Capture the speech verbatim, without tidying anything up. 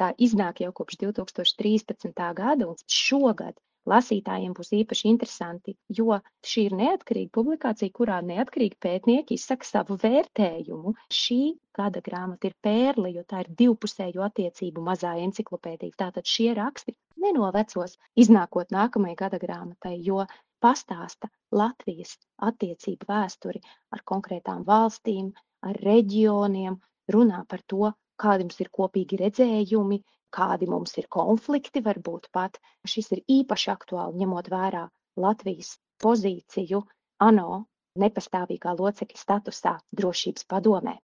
Tā iznāk jau kopš divi tūkstoši trīspadsmitā gada, un šogad lasītājiem būs īpaši interesanti, jo šī ir neatkarīga publikācija, kurā neatkarīgi pētnieki izsaka savu vērtējumu. Šī gada grāmata ir pērle, jo tā ir divpusēju attiecību mazā enciklopēdija. Tātad šie raksti nenovecos, iznākot nākamajai gada grāmatai, jo pastāsta Latvijas attiecību vēsturi ar konkrētām valstīm, ar reģioniem, runā par to, kādi mums ir kopīgi redzējumi, kādi mums ir konflikti, varbūt pat. Šis ir īpaši aktuāli, ņemot vērā Latvijas pozīciju ANO nepastāvīgā locekļa statusā Drošības padomē.